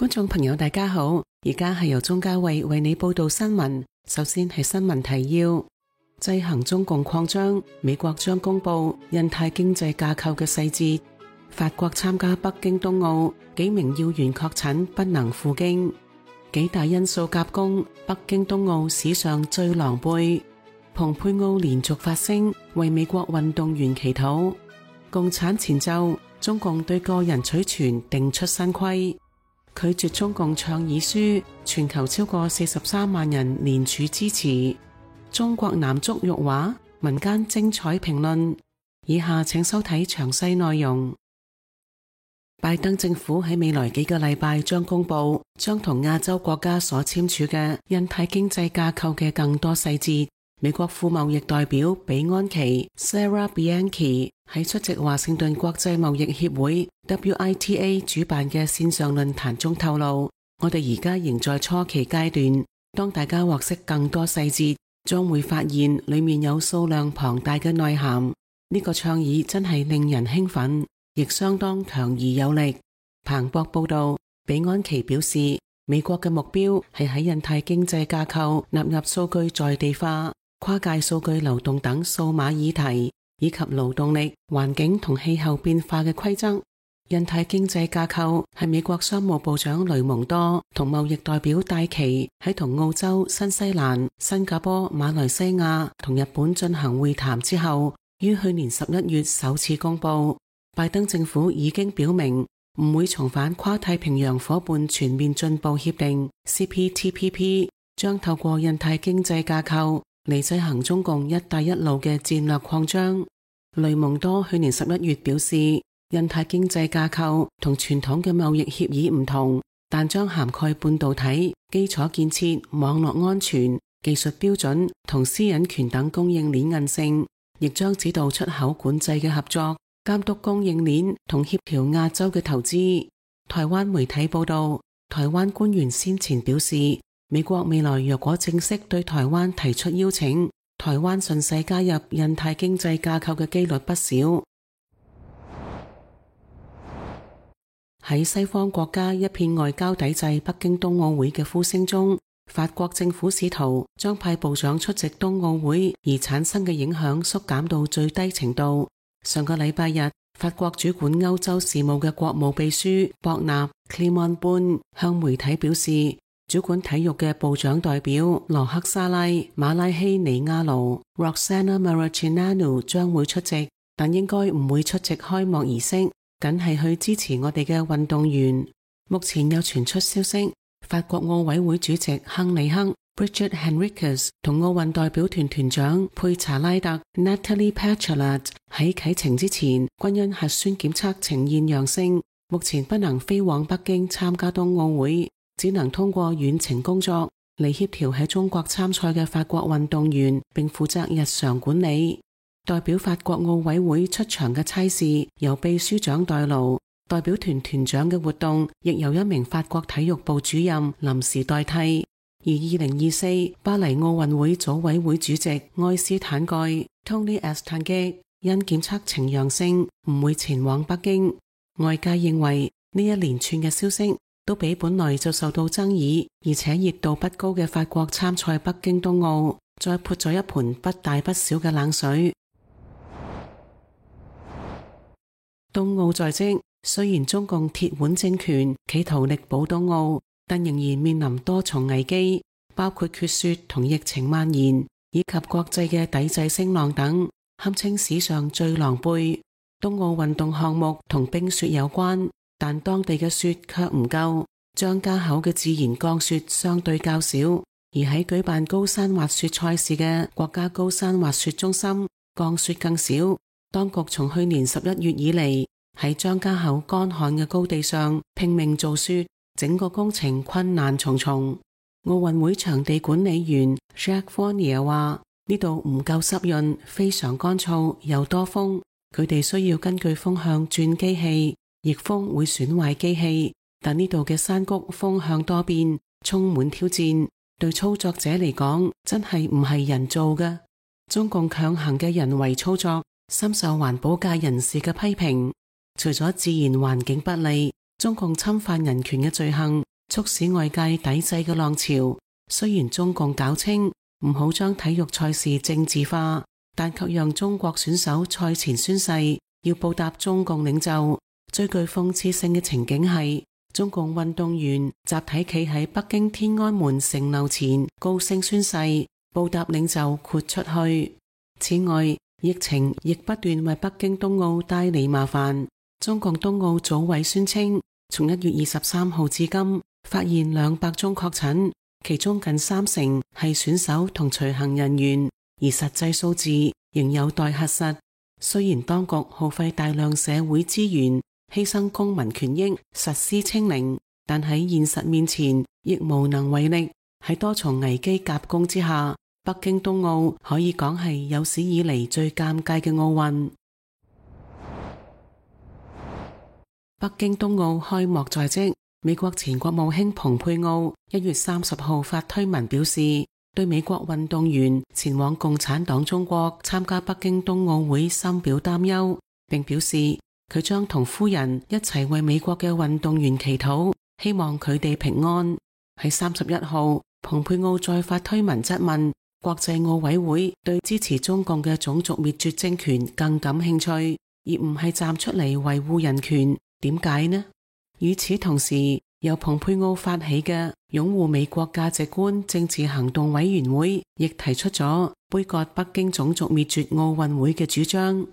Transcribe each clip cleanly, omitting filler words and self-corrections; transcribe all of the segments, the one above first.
觀眾朋友大家好，而家係由鍾嘉慧為你報道新聞。首先係新聞提要：制衡中共擴張，美國將公布印太經濟架構嘅細節；法國參加北京冬奧，幾名要員確診不能赴京；幾大因素夾攻，北京冬奧史上最狼狽；蓬佩奧連續發聲為美國運動員祈禱；共產前奏，中共對個人取傳定出新規；拒絕中共倡議書，全球超過43萬人聯署支持；中國男足辱華，民間精彩評論。以下請收睇詳細內容。拜登政府喺未來幾個禮拜將公布將同亞洲國家所簽署嘅印太經濟架構嘅更多細節。美國副貿易代表比安琪 Sarah Bianchi 喺出席華盛頓國際貿易協會 WITA 主辦嘅線上論壇中透露，我哋而家仍在初期階段，當大家獲悉更多細節，將會發現裏面有數量龐大嘅內涵。呢個倡議真係令人興奮，亦相當強而有力。彭博報道，比安琪表示，美國嘅目標係喺印太經濟架構納入數據在地化、跨界數據流動等數碼議題，以及勞動力、環境同氣候變化嘅規則。印太經濟架構係美國商務部長雷蒙多同貿易代表戴琪喺同澳洲、新西蘭、新加坡、馬來西亞同日本進行會談之後，於去年11月首次公布。拜登政府已經表明唔會重返跨太平洋夥伴全面進步協定 CPTPP， 將透過印太經濟架構嚟制衡中共一帶一路嘅戰略擴張。雷蒙多去年11月表示，印太經濟架構同傳統嘅貿易協議唔同，但將涵蓋半導體、基礎建設、網絡安全、技術標準同私隱權等供應鏈韌性，亦將指導出口管制嘅合作，監督供應鏈同協調亞洲嘅投資。台灣媒體報道，台灣官員先前表示，美國未來若果正式對台灣提出邀請，台灣順勢加入印太經濟架構嘅機率不少。喺西方國家一片外交抵制北京冬奧會嘅呼聲中，法國政府試圖將派部長出席冬奧會而產生嘅影響縮減到最低程度。上個禮拜日，法國主管歐洲事務嘅國務秘書博納 Clément Beaune 向媒體表示，主管體育嘅部長代表羅克沙拉、馬拉希尼亞盧 Roxana Maracineanu 將會出席，但應該唔會出席開幕儀式，僅係去支持我哋嘅運動員。目前又傳出消息，法國奧委會主席亨利克 Brigitte Henriques 同奧運代表團團長佩查拉特 Nathalie Petrellat 喺啟程之前均因核酸檢測呈現陽性，目前不能飛往北京參加冬奧會，只能通過遠程工作嚟協調喺中國參賽嘅法國運動員，並負責日常管理。代表法國奧委會出場嘅差事由秘書長代勞，代表團團長嘅活動亦由一名法國體育部主任臨時代替。而2024巴黎奧運會組委會主席埃斯坦蓋 Tony Estanguet 因檢測呈陽性，唔會前往北京。外界認為呢一連串嘅消息都俾本來就受到爭議而且熱度不高嘅法國參賽北京冬奧再潑咗一盆不大不小嘅冷水。冬奧在即，雖然中共鐵腕政權企圖力保冬奧，但仍然面臨多重危機，包括缺雪同疫情蔓延，以及國際嘅抵制聲浪等，堪稱史上最狼狽。冬奧運動項目同冰雪有關，但當地嘅雪卻唔夠，張家口嘅自然降雪相對較少，而喺舉辦高山滑雪賽事嘅國家高山滑雪中心，降雪更少。當局從去年11月以嚟，喺張家口乾旱嘅高地上拼命造雪，整個工程困難重重。奧運會場地管理員 Jacques Fournier 話：呢度唔夠濕潤，非常乾燥，又多風，佢哋需要根據風向轉機器，逆風會損壞機器。但呢度嘅山谷風向多變，充滿挑戰，對操作者嚟講真係唔係人做嘅。中共強行嘅人為操作深受環保界人士嘅批評，除咗自然環境不利，中共侵犯人權嘅罪行促使外界抵制嘅浪潮。雖然中共搞清唔好將體育賽事政治化，但卻讓中國選手賽前宣誓要報答中共領袖。最具諷刺性嘅情景係，中共運動員集體企喺北京天安門城樓前高聲宣誓，報答領袖豁出去。此外，疫情亦不斷為北京冬奧帶嚟麻煩。中共冬奧組委宣稱，從1月23號至今發現200宗確診，其中近30%係選手同隨行人員，而實際數字仍有待核實。雖然當局耗費大量社會資源，犧牲公民權益實施清零，但喺現實面前亦無能為力。喺多重危機夾攻之下，北京冬奧可以講係有史以嚟最尷尬嘅奧運。北京冬奧開幕在即，美國前國務卿蓬佩奧1月30號發推文表示，對美國運動員前往共產黨中國參加北京冬奧會深表擔憂，並表示佢將同夫人一齊為美國嘅運動員祈禱，希望佢哋平安。喺31號，蓬佩奧再發推文質問國際奧委會對支持中共嘅種族滅絕政權更感興趣，而唔係站出嚟維護人權。點解呢？與此同時，由蓬佩奧發起嘅擁護美國價值觀政治行動委員會亦提出咗杯葛北京種族滅絕奧運會嘅主張。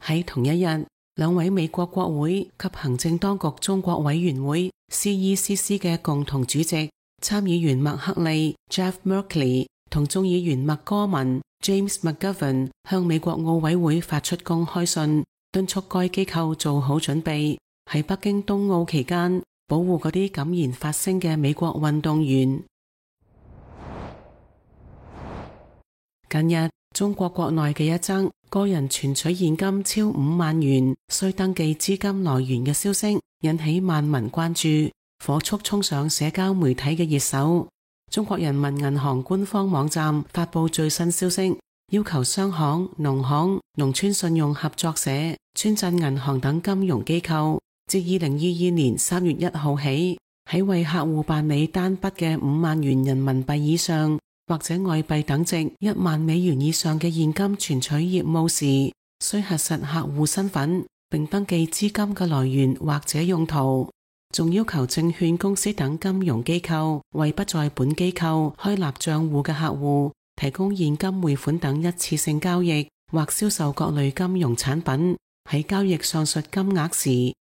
喺同一日，2位美國國會及行政當局中國委員會 CECC 嘅共同主席參議員麥克利 Jeff Merkley 同眾議員麥戈文 James McGovern 向美國奧委會發出公開信，敦促該機構做好準備，喺北京冬奧期間保護嗰啲敢言發聲嘅美國運動員。近日，中國國內嘅一則個人存取現金超5萬元，需登記資金來源嘅消息，引起萬民關注，火速衝上社交媒體嘅熱搜。中國人民銀行官方網站發佈最新消息，要求商行、農行、農村信用合作社、村鎮銀行等金融機構自2022年3月1號起，喺為客戶辦理單筆嘅5萬元人民幣以上或者外幣等值1萬美元以上嘅現金存取業務時，需核實客戶身份，並登記資金嘅來源或者用途。仲要求證券公司等金融機構為不在本機構開立賬戶嘅客戶提供現金匯款等一次性交易或銷售各類金融產品，喺交易上述金額時，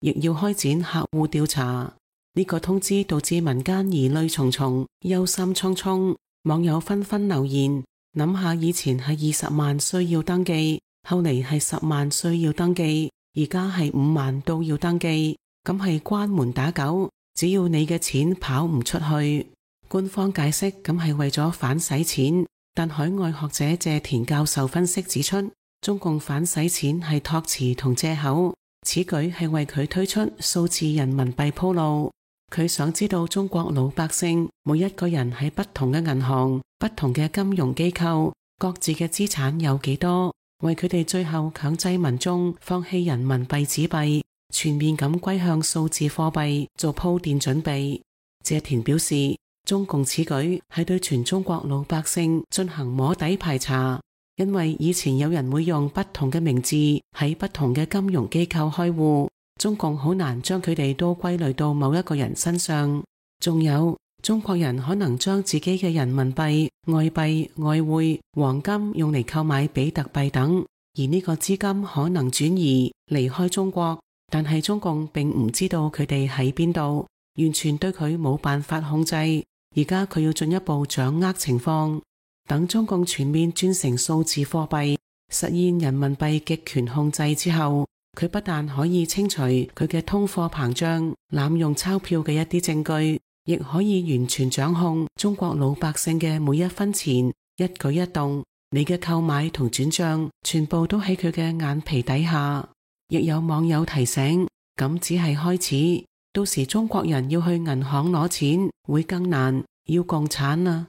亦要開展客戶調查。呢個通知導致民間疑慮重重，憂心忡忡。網友紛紛留言，諗下以前係20萬需要登記，後嚟係10萬需要登記，而家係5萬都要登記，咁係關門打狗，只要你嘅錢跑唔出去。官方解釋咁係為咗反洗錢，但海外學者謝田教授分析指出，中共反洗錢係託詞同借口，此舉係為佢推出數字人民幣鋪路。佢想知道中國老百姓每一個人喺不同嘅銀行、不同嘅金融機構各自嘅資產有幾多，為佢哋最後強制民眾放棄人民幣紙幣，全面咁歸向數字貨幣做鋪墊準備。謝田表示，中共此舉係對全中國老百姓進行摸底排查，因為以前有人會用不同嘅名字喺不同嘅金融機構開戶，中共好難將佢哋都歸類到某一個人身上。仲有，中國人可能將自己嘅人民幣、外幣、外匯、黃金用嚟購買比特幣等，而呢個資金可能轉移離開中國，但係中共並唔知道佢哋喺邊度，完全對佢冇辦法控制。而家佢要進一步掌握情況，等中共全面轉成數字貨幣，實現人民幣極權控制之後，佢不但可以清除佢嘅通貨膨脹、濫用鈔票嘅一啲證據，亦可以完全掌控中國老百姓嘅每一分錢、一舉一動。你嘅購買同轉賬全部都喺佢嘅眼皮底下。亦有網友提醒，咁只係開始，到時中國人要去銀行攞錢會更難，要共產啊！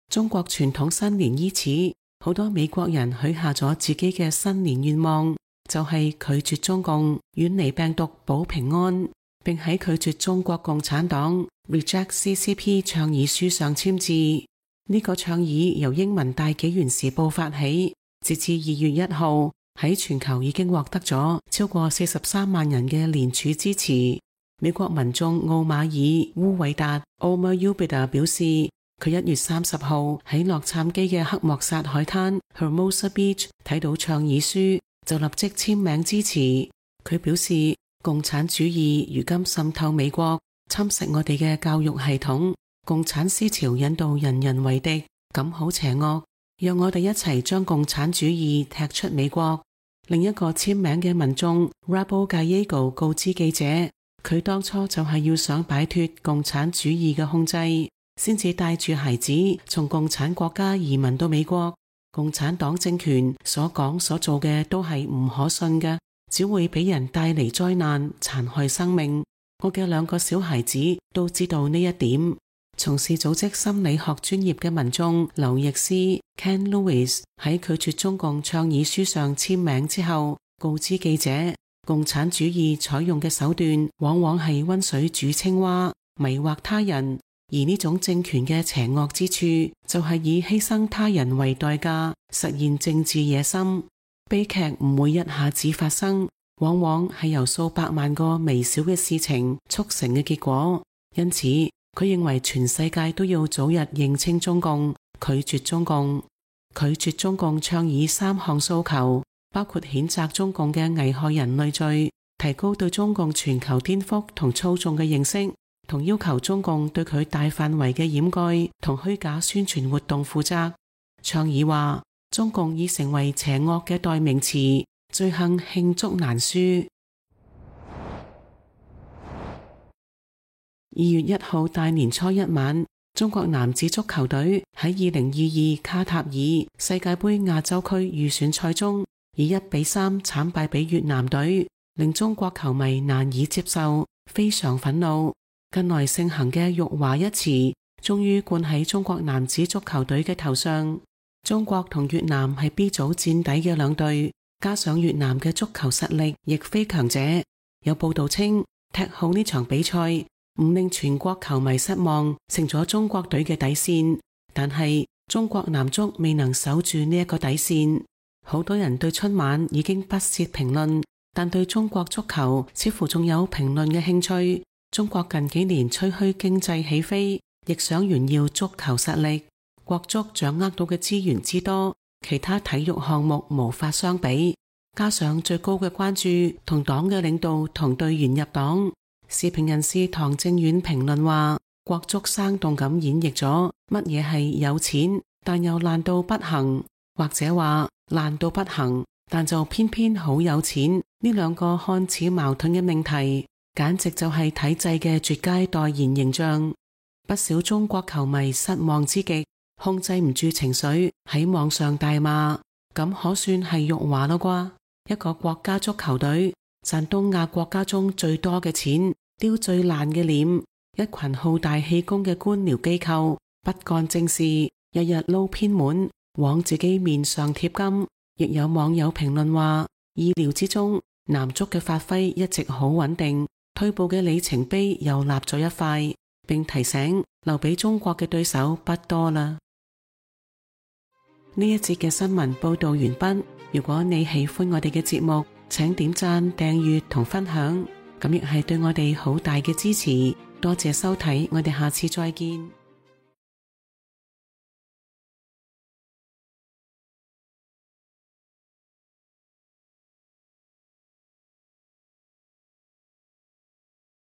中國傳統新年伊始，好多美國人許下咗自己嘅新年願望，就係拒絕中共，遠離病毒保平安，並喺拒絕中國共產黨 Reject CCP 倡議書上簽字。呢個倡議由英文大紀元時報發起，截至2月1號，喺全球已經獲得咗超過43萬人嘅聯署支持。美國民眾奧馬爾烏韋達 Omar Ubida 表示，佢1月30號喺洛杉磯嘅黑莫薩海灘 Hermosa Beach 睇到倡議書，就立即簽名支持。佢表示，共產主義如今滲透美國，侵蝕我哋嘅教育系統，共產思潮引導人人為敵，咁好邪惡，讓我哋一齊將共產主義踢出美國。另一個簽名嘅民眾 Rabo Gallego 告知記者，佢當初就係要想擺脫共產主義嘅控制，先至帶住孩子從共產國家移民到美國。共產黨政權所講所做嘅都係唔可信嘅，只會俾人帶嚟災難，殘害生命。我嘅2個小孩子都知道呢一點。從事組織心理學專業嘅民眾劉易斯 Ken Lewis 喺拒絕中共倡議書上簽名之後，告知記者，共產主義採用嘅手段往往係溫水煮青蛙，迷惑他人，而呢種政權嘅邪惡之處就係以犧牲他人為代價，實現政治野心。悲劇唔會一下子發生，往往係由數百萬個微小嘅事情促成嘅結果。因此，佢認為全世界都要早日認清中共，拒絕中共。拒絕中共倡議3項訴求，包括譴責中共嘅危害人類罪，提高對中共全球顛覆同操縱嘅認識，同要求中共對佢大範圍嘅掩蓋同虛假宣傳活動負責。倡議話，中共已成為邪惡嘅代名詞，罪行罄竹難書。2月1號大年初一晚，中國男子足球隊喺2022卡塔爾世界盃亞洲區預選賽中以1-3慘敗俾越南隊，令中國球迷難以接受，非常憤怒。近來盛行嘅辱華一詞終於灌喺中國男子足球隊嘅頭上。中國同越南係 B 組墊底嘅2隊，加上越南嘅足球實力亦非強者。有報道稱，踢好呢場比賽唔令全國球迷失望，成咗中國隊嘅底線。但係中國男足未能守住呢一個底線。好多人對春晚已經不屑評論，但對中國足球似乎仲有評論嘅興趣。中國近幾年吹噓經濟起飛，亦想炫耀足球實力。國足掌握到嘅資源之多，其他體育項目無法相比。加上最高嘅關注同黨嘅領導同隊員入黨。時評人士唐正遠評論話，國足生動咁演繹咗乜嘢係有錢但又爛到不行，或者話爛到不行但就偏偏好有錢，呢2個看似矛盾嘅命題，簡直就係體制嘅絕佳代言形象。不少中國球迷失望之極，控制唔住情緒喺網上大罵，咁可算係辱華咯啩？一個國家足球隊賺東亞國家中最多嘅錢，丟最爛嘅臉，一群好大氣功嘅官僚機構不幹正事，日日撈偏門往自己面上貼金。亦有網友評論話，意料之中，男足嘅發揮一直好穩定，退步嘅里程碑又立咗一塊，並提醒留俾中國嘅對手不多啦。呢一節嘅新聞報道完畢。如果你喜歡我哋嘅節目，請點讚、訂閱同分享，咁亦係對我哋好大嘅支持。多謝收睇，我哋下次再見。